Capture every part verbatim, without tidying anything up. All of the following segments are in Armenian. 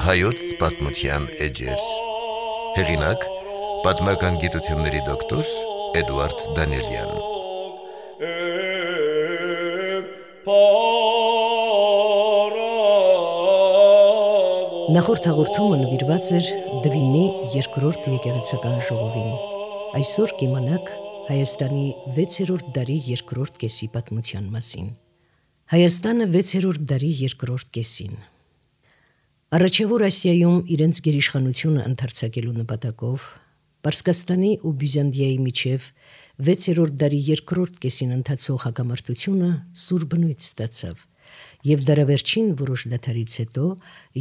Հայոց պատմության էջեր։ Հեղինակ՝ պատմական գիտությունների դոկտոր Էդուարդ Դանիելյան։ Նախորդ հաղորդումը նվիրված էր Դվինի երկրորդ եկեղեցական ժողովին։ Այսօր կիմանաք Հայաստանի վեցերորդ դարի երկրորդ կեսի պատմության մասին։ Հայաստանը վեցերորդ դարի երկրորդ կեսին։ Առաջավոր Ասիայում իրենց գերիշխանությունը ընդարձակելու նպատակով Պարսկաստանի ու Բյուզանդիայի միջև վեցերորդ դարի երկրորդ կեսին ընթացող հակամարտությունը սուր բնույթ ստացավ, եւ դարավերջին որոշ դադարից հետո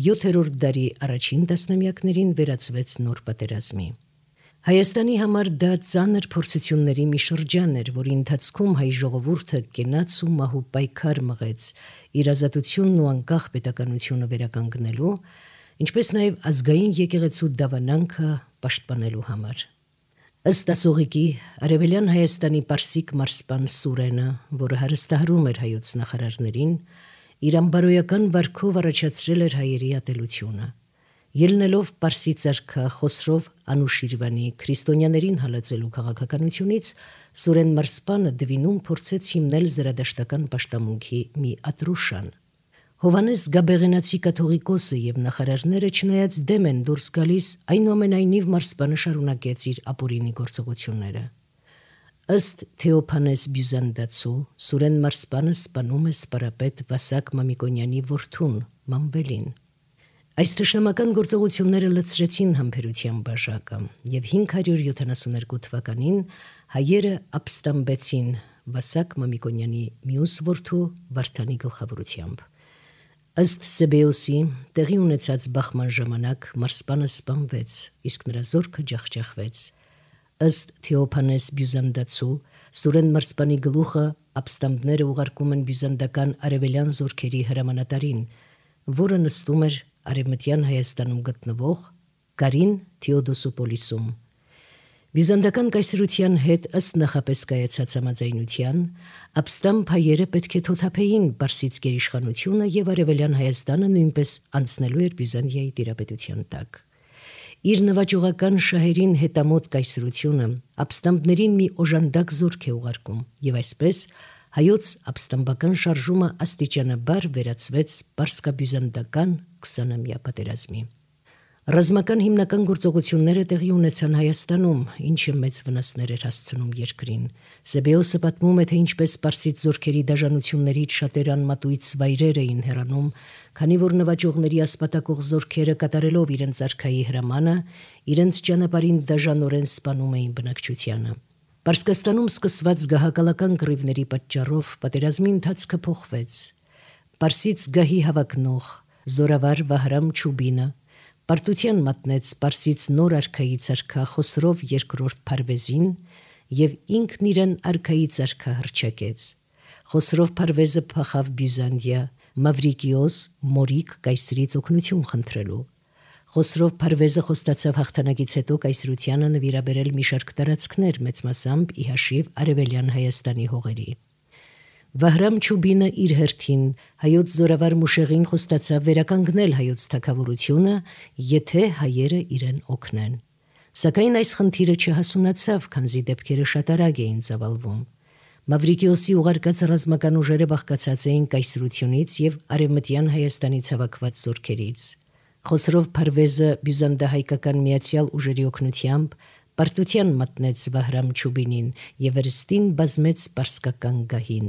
յոթերորդ դարի առաջին տասնամյակներին վերածվեց նոր պատերազմի։ Հայաստանի համար դա ծանր փորձությունների մի շրջան էր, որի ընթացքում հայ ժողովուրդը կենաց ու մահու պայքար մղեց իր ազատությունն ու անկախ պետականությունը վերականգնելու, ինչպես նաև ազգային եկեղեցու դավանանքը պաշտպանելու համար։ Ըստ ասողիկի, Արևելյան Հայաստանի պարսիկ մարսպան Սուրենը, որը հարստահարում էր հայոց նախարարներին, իր ամբարոյական վարքով առաջացրել էր հայերի ատելությունը։ Ելնելով Պարսից արքա Խոսրով Անուշիրվանի քրիստոնյաներին հալածելու քաղաքականությունից, Սուրեն Մարսպանը Դվինում փորձեց հիմնել զրադաշտական պաշտամունքի մի ատրուշան։ Հովանես Գաբեղենացի կաթողիկոսը եւ նախարարները չնայած դեմ են դուրս գալիս, այնուամենայնիվ Մարսպանը շարունակեց իր ապօրինի գործողությունները։ Ըստ Թեոփանես Բյուզանդացու, Սուրեն Մարսպանը սպանում է սպարապետ Վասակ Մամիկոնյանի որդուն Մամբելին։ Այս թշնամական գործողությունները լցրեցին համբերության բաժակը, եւ հինգ հարյուր յոթանասունհինգ թվականին հայերը ապստամբեցին Վասակ Մամիկոնյանի մյուս որդու Վարդանի գլխավորությամբ։ Ըստ Սեբեոսի, տեղի ունեցած բախման ժամանակ Մարսպանը սպանվեց, իսկ նրա զորքը ջախջախվեց։ Ըստ Թեոփանես Բյուզանդացու, Սուրեն Մարսպանի գլուխը ապստամբները ուղարկում են բյուզանդական արևելյան զորքերի հրամանատարին, որը նստում էր Արևմտյան Հայաստանում գտնվող Կարին Թեոդոսոպոլիսում։ Բյուզանդական կայսրության հետ ըստ նախապես կայացած համաձայնության, ապստամբ հայերը պետք է թոթափեին Պարսից գերիշխանությունը եւ Արևելյան Հայաստանը նույնպես անցնելու էր Բյուզանդիայի տիրապետության տակ։ Իր նվաճողական շահերին հետամոտ կայսրությունը ապստամբներին մի օժանդակ զորք է ուղարկում եւ այսպես հայոց ապստամբական շարժումը աստիճանաբար վերածվեց պարսկաբյուզանդական քսանամյա պատերազմի։ Ռազմական հիմնական գործողությունները տեղի ունեցան Հայաստանում, ինչը մեծ վնասներ էր հասցնում երկրին։ Սեբեոսը պատմում է, թե ինչպես պարսից զորքերի դաժանություններից շատերը անմատույց վայրեր էին հեռանում, քանի որ նվաճողների ասպատակող զորքերը կատարելով իրենց արքայի հրամանը, իրենց ճանապարհին դաժանորեն սպանում էին բնակչությանը։ Պարսկաստանում սկսված գահակալական կռիվների պատճառով պատերազմի ընթացքը փոխվեց։ Պարսից գահի հավակնող զորավար Վահրամ Չուբինը պարտության մատնեց Պարսից նոր արքայից արքա Խոսրով երկրորդ Փարվեզին եւ ինքն իրեն արքայից արքա հռչակեց։ Խոսրով Փարվեզը փախավ Բյուզանդիա, Մավրիկիոս Մորիկ կայսրից օգնություն խնդրելու։ Խոսրով Փարվեզը խոստացավ հաղթանակից հետո կայսրությանը նվիրաբերել մի շարք տարածքներ մեծ մասամբ ի հաշիվ Արևելյան Հայաստանի հողերի։ Վահրամ Չուբինը իր հերթին հայոց զորավար Մուշեղին խոստացավ վերականգնել հայոց թագավորությունը, եթե հայերը իրեն օգնեն։ Սակայն այս խնդիրը չհասունացավ, քանզի դեպքերը շատ արագ էին ծավալվում։ Մավրիկիոսի ուղարկած ռազմական ուժերը բաղկացած էին կայսրությունից եւ Արևմտյան Հայաստանից հավաքված զորքերից։ Խոսրով Փարվեզը բյուզանդահայկական միացյալ ուժերի օգնությամբ պարտության մատնեց Վահրամ Չուբինին եւ վերստին բազմեց պարսկական գահին։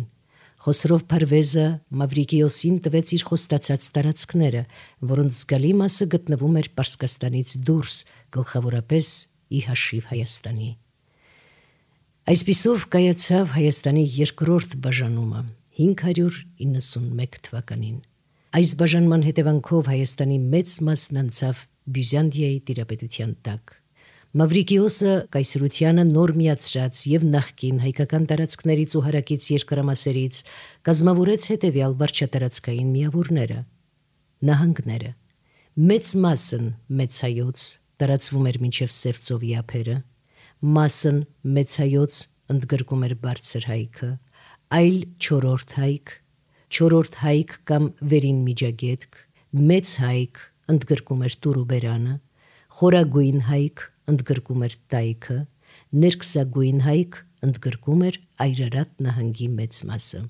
Խոսրով Փարվեզը Մավրիկիոսին տվեց իր խոստացած տարածքները, որոնց զգալի մասը գտնվում էր Պարսկաստանից դուրս, գլխավորապես ի հաշիվ Հայաստանի։ Այսպիսով կայացավ Հայաստանի երկրորդ բաժանումը հինգ հարյուր իննսունմեկ թվականին։ Այս բաժանման հետևանքով Հայաստանի մեծ մասն անցավ Բյուզանդիայի տիրապետության տակ։ Մավրիկիոսը կայսրությանը նոր միացրած եւ նախկին հայկական տարածքներից ու հարակից երկրամասերից կազմավորեց հետևյալ վարչատարածքային միավորները՝ նահանգները։ Մեծ մասն մեծ հայոց տարածվում էր մինչև Սևծովի ափերը, մասն մեծ հայոց ընդգրկում էր բարձր հայքը, այլ չորրորդ հայք, չորրորդ հայք կամ վերին միջագետք, մեծ հայք ընդգրկում էր Տուրուբերանը, խորագույն հայք ընդգրկում էր Տայքը, ներքսագույն հայք ընդգրկում էր Այրարատ նահանգի մեծ մասը։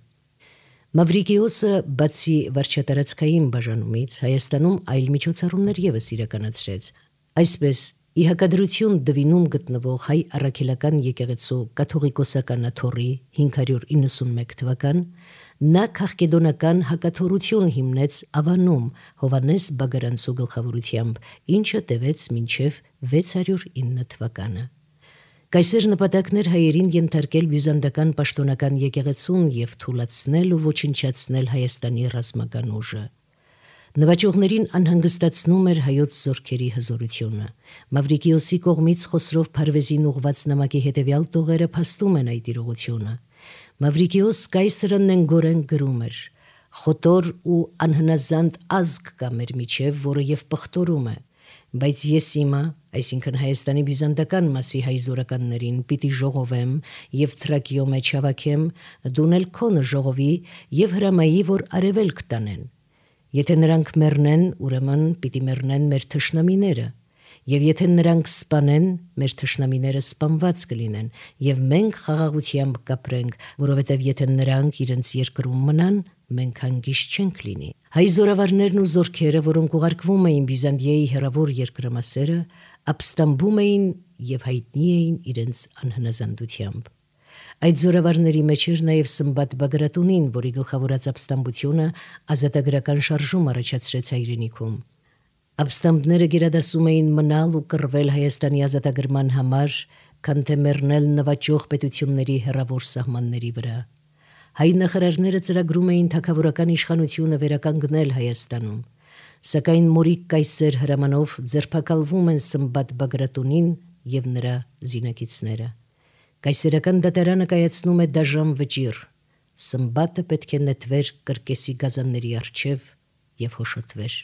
Մավրիկիոսը բացի վարչատարածքային բաժանումից Հայաստանում այլ միջոցառումներ ևս իրականացրեց։ Այսպես ի հակադրություն Դվինում գտնվող հայ առաքելական եկեղեցու կաթողիկոսական աթոռի հինգ հարյուր իննսունմեկ թվական նա քաղկեդոնական հակաթոռություն հիմնեց Ավանում Հովհաննես Բագարանցու գլխավորությամբ, ինչը տևեց մինչև վեց հարյուր ինը թվականը։ Կայսեր նպատակներ հայերին ենթարկել բյուզանդական պաշտոնական եկեղեցուն եւ թուլացնել ու ոչնչացնել Հայաստանի ռազմական ուժը։ Նվաճողներին անհանգստացնում էր հայոց զորքերի հզորությունը։ Մավրիկիոսի կողմից Խոսրով Փարվեզին ուղված նամակի հետևյալ տողերը փաստում են այդ իրողությունը։ Մավրիկիոս կայսրն գորեն գրում էր. «Խոտոր ու անհնազանդ ազգ կա մեր միջև, որը եւ պղտորում է, բայց ես իմը, այսինքն Հայաստանի բյուզանդական մասի հայ զորականներին պիտի ժողովեմ եւ Թրակիո մեջ հավաքեմ, դունել քոնը ժողովի եւ հրամայի, որ արևելք տանեն։ Եթե նրանք մեռնեն, ուրեմն պիտի մեռնեն մեր թշնամիները, եւ եթե նրանք սպանեն, մեր թշնամիները սպանված կլինեն, եւ մենք խաղաղությամբ կապրենք, որովհետեւ եթե նրանք իրենց երկրում մնան, մենք հանգիստ չենք լինի»։ Հայ զորավարներն ու զորքերը, որոնք ուղարկվում էին Բյուզանդիայի հեռավոր երկրամասերը, ապստամբում էին եւ հայտնի էին իրենց անհնազանդությամբ։ Այդ զորավարների մեջ էր նաև Սմբատ Բագրատունին, որի գլխավորած ապստամբությունը ազատագրական շարժում առաջացրեց հայրենիքում։ Ապստամբները գերադասում էին մնալ ու կռվել Հայաստանի ազատագրման համար, քան թե մեռնել նվաճող պետությունների հեռավոր սահմանների վրա։ Հայ նախարարները ծրագրում էին թագավորական իշխանությունը վերականգնել Հայաստանում, սակայն Մորիկ կայսեր հրամանով ձերբակալվում են Սմբատ Բագրատունին եւ նրա զինակիցները։ Կայսերական դատարանը կայացնում է դաժան վճիռ։ Սմբատը պետք է նետվեր կրկեսի գազանների առջև եւ հոշոտվեր։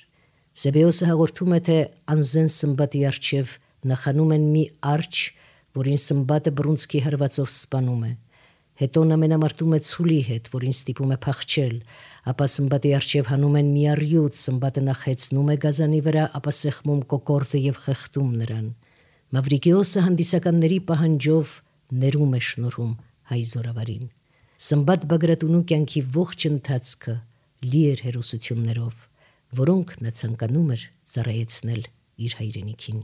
Սեբեոսը հաղորդում է, թե անզեն Սմբատի առջև նախանում են մի արջ, որին Սմբատը բռունցքի հարվածով սպանում է։ Հետո նա մենամարտում է ցուլի հետ, որին ստիպում է փախչել, ապա Սմբատի առջև հանում են մի առյուծ, Սմբատը նախ հեծնում է գազանի վրա, ապա սեղմում կոկորդը եւ խեղդում նրան։ Մավրիկիոսը հանդիսականների պահանջով ներում է շնորհում հայ զորավարին։ Սմբատ Բագրատունու կյանքի ողջ ընթացքը լի էր հերոսություններով, որոնք նա ցանկանում էր ծառայեցնել իր հայրենիքին։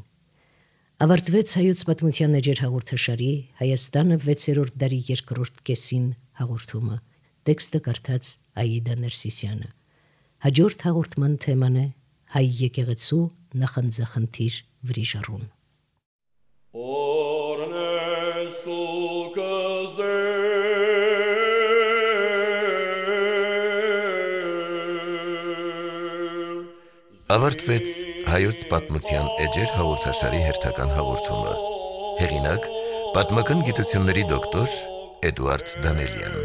Ավարտվեց հայոց պատմության էջեր հաղորդաշարի Հայաստանը վեցերորդ դարի երկրորդ կեսին հաղորդումը։ Տեքստը կարդաց Աիդա Ներսիսյանը։ Հաջորդ հաղորդման թեման է հայ եկեղեցու նախանձախնդիր վրիժառուն։ Ավարտվեց հայոց պատմության էջեր հաղորդաշարի հերթական հաղորդումը։ Հեղինակ՝ պատմական գիտությունների դոկտոր Էդուարդ Դանելյան։